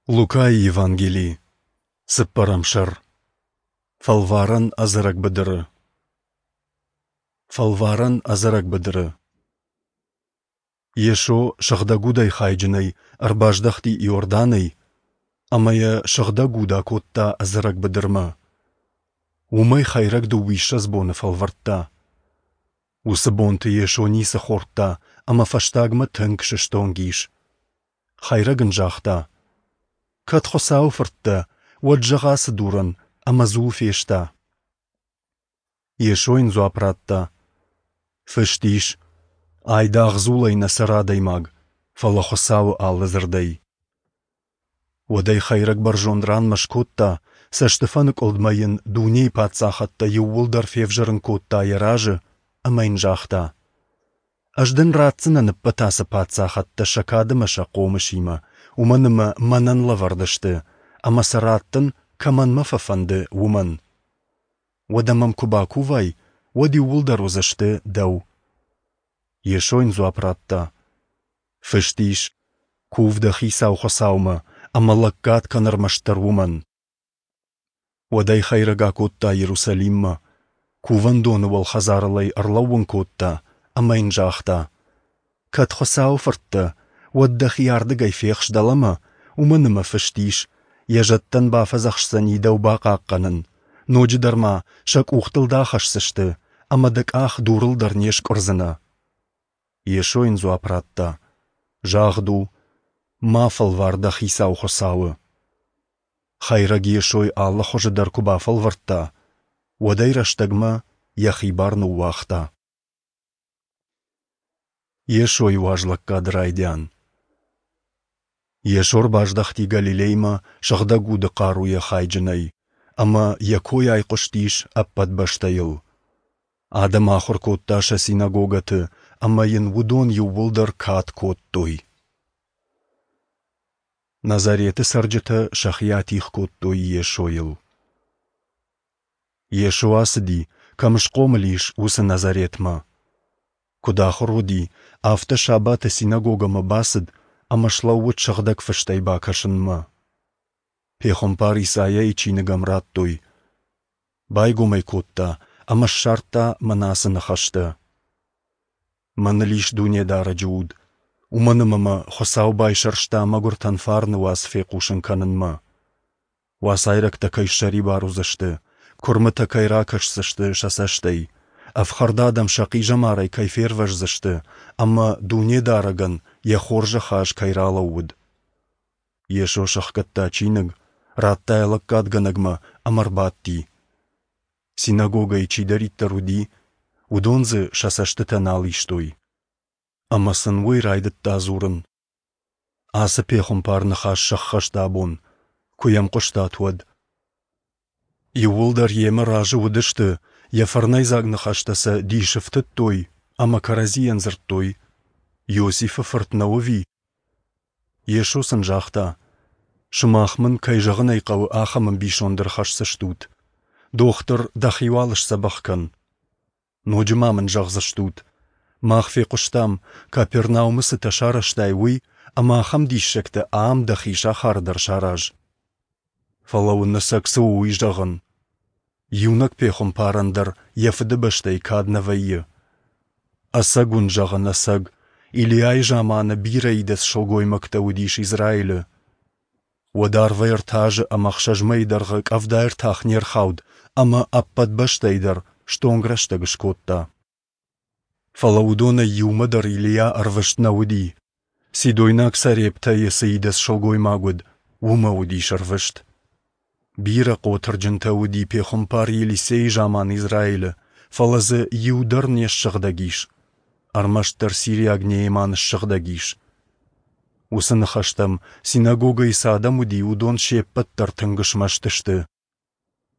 Лукайы Евангели, цыппӕрӕм сӕр. Фӕлварӕн ӕдзӕрӕг быдыры. Фӕлварӕн ӕдзӕрӕг быдыры. Йесо Сыгъдӕг Удӕй хайджынӕй ӕрбаздӕхти Иорданӕй ӕмӕ йӕ Сыгъдӕг Уд акодта ӕдзӕрӕг быдырмӕ. Уым ӕй хӕйрӕг дыууиссӕдз боны фӕлвӕрдта. Уыцы бонты Йесо ницы хордта ӕмӕ фӕстагмӕ тынг сыстонг ис. Хӕйрӕг ын загъта: «Кӕд Хуыцауы фырт дӕ, уӕд зӕгъ ацы дурӕн, ӕмӕ дзул феста». Йесо йын дзуапп радта: «Фыст ис: Айдагъ дзулӕй нӕ цӕры адӕймаг, фӕлӕ Хуыцауы алы дзырдӕй». Уӕд ӕй хӕйрӕг бӕрзонд ранмӕ скодта, цӕстыфӕныкъуылдмӕ йын дунейы паддзахӕдтӕ иууылдӕр февзӕрын кодта йӕ разы ӕмӕ йын загъта: «Ӕз дын ратдзынӕн ӕппӕт ацы паддзахӕдтӕ сӕ кад ӕмӕ сӕ хъомысимӕ, уымӕн ӕмӕ мӕнӕн лӕвӕрд сты, ӕмӕ сӕ раттын, кӕмӕн мӕ фӕфӕнды, уымӕн. Уӕдӕ мӕм куы бакувай, уӕд иууылдӕр уыдзысты дӕу». Йесо йын дзуапп радта: «Фыст ис: Кув дӕ Хицау Хуыцаумӕ ӕмӕ лӕггад кӕн ӕрмӕстдӕр уымӕн». Уӕд ӕй хӕйрӕг акодта Иерусалиммӕ, кувӕндоны уӕлхӕдзарыл ӕй ӕрлӕууын кодта ӕмӕ йын загъта: «Кӕд Хуыцауы фырт дӕ, уӕд дӕхи ардыгӕй фехс дӕлӕмӕ, уымӕн ӕмӕ фыст ис: Йӕ зӕдтӕн бафӕдзӕхсдзӕни дӕу бахъахъхъӕнын, ноджыдӕр ма сӕ къухтыл дӕ ахӕсдзысты, ӕмӕ дӕ къах дурыл дӕр не скъуырдзынӕ». Йесо йын дзуапп радта: «Загъд у: Ма фӕлвар дӕ Хицау Хуыцауы». Хӕйрӕг Йесойы алы хуызы дӕр куы бафӕлвӕрдта, уӕд ӕй рӕстӕгмӕ йӕхи бар ныууагъта. Йесойы уазлӕггады райдиан. Йесо ӕрбаздӕхти Галилеймӕ Сыгъдӕг Уды хъаруйӕ хайджынӕй, ӕмӕ йӕ кой айхъуыстис ӕппӕт бӕстӕйыл. Адӕм ахуыр кодта сӕ синагогӕты, ӕмӕ йын уыдон иууылдӕр кад кодтой. Назареты цӕрджытӕ сӕхи атигъ кодтой Йесойыл. Йесо ацыди, кӕм схъомыл ис, уыцы Назаретмӕ. Куыд ахуыр уыди, афтӕ сабаты синагогӕмӕ бацыд ӕмӕ слӕууыд Сыгъдӕг Фыстӕй бакӕсынмӕ. Пехуымпар Исайайы чиныг ӕм радтой. Байгом ӕй кодта ӕмӕ ссардта мӕнӕ ацы ныхӕстӕ: Мӕныл ис Дунедарӕджы Уд, уымӕн ӕмӕ мӕ Хуыцау байсӕрста мӕгуыртӕн фарны уац фехъусын кӕнынмӕ. Уацайрӕгтӕ кӕй ссӕрибар уыдзысты, куырмытӕ кӕй ракӕсдзысты сӕ цӕстӕй, ӕфхӕрд адӕм сӕ хъизӕмарӕй кӕй фервӕздзысты ӕмӕ Дунедарӕгӕн йӕ хорзӕх аз кӕй ралӕууыд. Йесо сӕхгӕдта чиныг, радта йӕ лӕггадгӕнӕгмӕ ӕмӕ ӕрбадти. Синагогӕйы чидӕриддӕр уыди, уыдон дзы сӕ цӕстытӕ нал истой. Ӕмӕ сын уый райдыдта дзурын. Ацы пехуымпар ныхас сӕххӕст абон, куы йӕм хъуыстат, уӕд. Иууылдӕр йемӕ разы уыдысты, йӕ фӕрнӕйдзаг ныхӕстӕ сӕ дисы фтыдтой ӕмӕ кӕрӕдзийӕн дзырдтой: «Иосифы фырт нӕу ӕви?» Йесо сын загъта: «Сымах мын, кӕй зӕгъын ӕй хъӕуы, ахӕм ӕмбисонд ӕрхӕсдзыстут: Дохтыр, дӕхи уал сдзӕбӕх кӕн. Ноджы ма мын зӕгъдзыстут: Мах фехъуыстам, Капернаумы цытӕ сарӕзтай, уый, ӕмӕ ахӕм диссӕгтӕ ам дӕхи сахары дӕр сараз. Фӕлӕ уын ӕцӕг цы у, уый зӕгъын. Иунӕг пехуымпарӕн дӕр йӕ фыдыбӕстӕйы кад нӕ вӕййы. Ӕцӕг уын зӕгъын, ӕцӕг, Илиайы заманы бирӕ идӕдз сылгоймӕгтӕ уыдис Израилы. Уӕд арвӕй ӕртӕ азы ӕмӕ ӕхсӕз мӕйы дӕргъы къӕвда ӕртах не рхауд ӕмӕ ӕппӕт бӕстӕйы дӕр стонг рӕстӕг скодта. Фӕлӕ уыдонӕй иумӕ дӕр Илийа ӕрвыст нӕ уыди. Сидойнаг Сарептӕйы цы идӕдз сылгоймаг уыд, уымӕ уыдис ӕрвыст. Бирӕ хъотырджынтӕ уыди пехуымпар Елисейы заман Израилы, фӕлӕ дзы иу дӕр не ссыгъдӕг ис. Ӕрмӕстдӕр сириаг Нееман ссыгъдӕг ис. Уыцы ныхӕстӕм, синагогӕйы цы адӕм уыди, уыдон се ппӕт дӕр тынг смӕсты сты.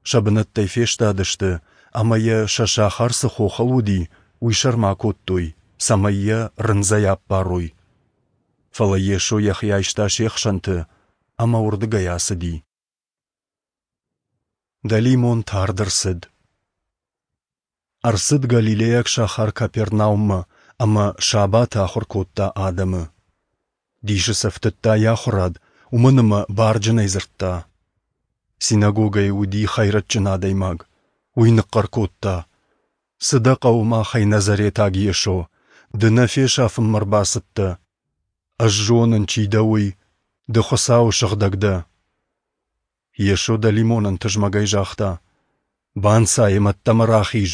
Сӕ бынӕттӕй фестадысты ӕмӕ йӕ сӕ сахар цы хохыл уыди, уый сӕрмӕ акодтой, цӕмӕй йӕ рындзӕй аппарой. Фӕлӕ Йесо йӕхи айста се хсӕнты ӕмӕ уырдыгӕй ацыди. Дӕлимон тард ӕрцыд. Ӕрцыд галилейаг сахар Капернауммӕ ӕмӕ сабаты ахуыр кодта адӕмы. Дисы сӕ ӕфтыдта йӕ ахуырад, уымӕн ӕмӕ барджынӕй дзырдта. Синагогӕйы уыди хӕйрӕджджын адӕймаг. Уый ныхъхъӕр кодта: Цы дӕ хъӕуы махӕй, Назаретаг Йесо? Ды нӕ фесафынмӕ ӕрбацыдтӕ? Ӕз зонын, чи дӕ, уый. Ды Хуыцауы сыгъдӕг дӕ. Йесо дӕлимонӕн тызмӕгӕй загъта: Банцай ӕмӕ ӕддӕмӕ рахиз.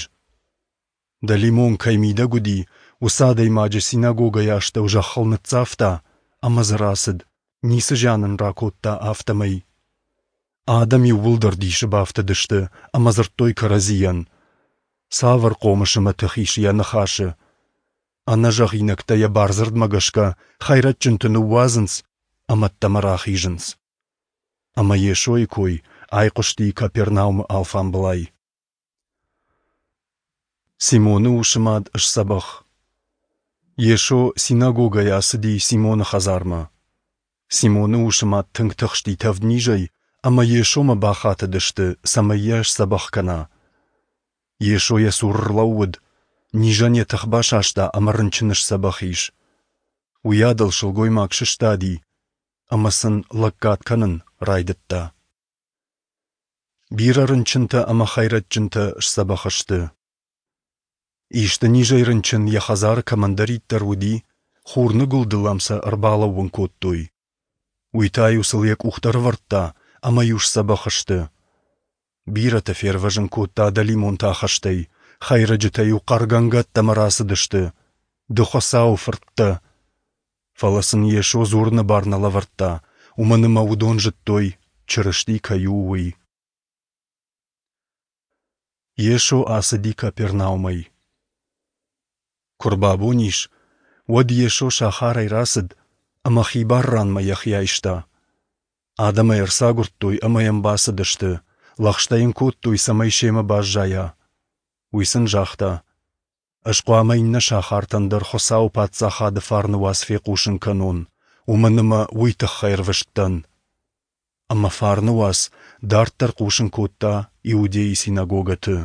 Дӕлимон кӕй мидӕг уыди, уыцы адӕймаджы синагогӕйы астӕу зӕххыл ныццавта ӕмӕ дзы рацыд, ницы зиан ын ракодта, афтӕмӕй. Адӕм иууылдӕр дисы бафтыдысты ӕмӕ дзырдтой кӕрӕдзийӕн: Цавӕр хъомыс ӕмӕ тых ис йӕ ныхасы? Ӕнӕзӕгъинӕгтӕ йӕ бардзырдмӕ гӕсгӕ хӕйрӕджджынты ныууадзынц ӕмӕ ӕддӕмӕ рахизынц. Ӕмӕ Йесойы кой айхъуысти Капернаумы алфамбылай. Симоны усы мад сдзӕбӕх. Йесо синагогӕйӕ ацыди Симоны хӕдзармӕ. Симоны усы мад тынг тыхсти тӕвднизӕй, ӕмӕ Йесомӕ бахатыдысты, цӕмӕй йӕ сдзӕбӕх кӕна. Йесо йӕ цуры рлӕууыд, низӕн йӕ тых басаста ӕмӕ рынчын сдзӕбӕх ис. Уыйадыл сылгоймаг сыстади ӕмӕ сын лӕггад кӕнын райдыдта. Бирӕ рынчынтӕ ӕмӕ хӕйрӕджджынтӕ сдзӕбӕх сты. Исты низӕй рынчын йӕ хӕдзары кӕмӕндӕриддӕр уыди, хурныгуылдыл ӕм сӕ ӕрбалӕууын кодтой. Уый та-иу сыл йӕ къухтӕ ӕрӕвӕрдта ӕмӕ-иу сдзӕбӕх сты. Бирӕтӕ фервӕзын кодта дӕлимонты ахӕстӕй, хӕйрӕджытӕ-иу хъӕргӕнгӕ ӕддӕмӕ рацыдысты: «Ды Хуыцауы фырт дӕ!» Фӕлӕ сын Йесо дзурыны бар нӕ лӕвӕрдта, уымӕн ӕмӕ уыдон зыдтой, Чырысти кӕй у, уый. Йесо ацыди Капернаумӕй. Куы рбабон ис, уӕд Йесо сахарӕй рацыд ӕмӕ хибар ранмӕ йӕхи айста. Адӕм ӕй ӕрцагуырдтой ӕмӕ йӕм бацыдысты, лӕгъстӕ йын кодтой, цӕмӕй семӕ баззайа. Уый сын загъта: Ӕз хъуамӕ иннӕ сахартӕн дӕр Хуыцауы Паддзахады фарны уац фехъусын кӕнон, уымӕн ӕмӕ уый тыххӕй ӕрвыст дӕн. Ӕмӕ фарны уац дарддӕр хъусын кодта Иудейы синагогӕты.